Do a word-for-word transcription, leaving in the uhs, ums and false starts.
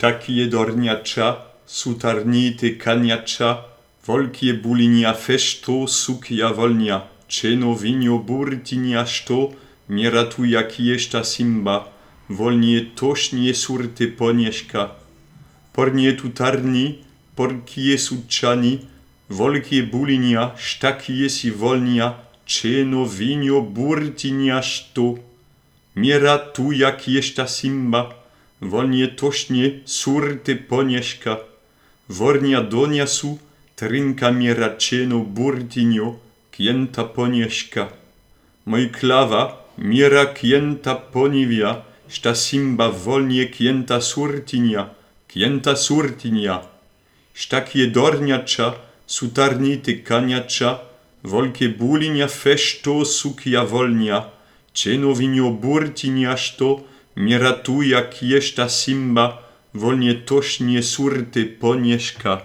Sztakie dorniacza, sutarnity kaniacza, volkie bulinia fešto, sukja volnia, čeno vinio burtinia što, mieratu jakiešta simba, volnie tošnie surty ponieška. Pornie tutarni, porkie sučani, volkie bulinia, štakie si volnia, čeno vinio burtinia što, mieratu jakiešta simba, volnie tošnie surty ponieška. Vornia donia su, trinka miera čeno burtinio, kienta ponieška. Moj klawa, miera kienta ponivia, šta simba volnie kienta surtinia, kienta surtinia. Štakie dorniacza, sutarnity kaniacza, volkie bulinia fešto sukja volnia, čeno vinio burtinia što, miera tu jakiešta simba, volnie tošnie surty ponieška.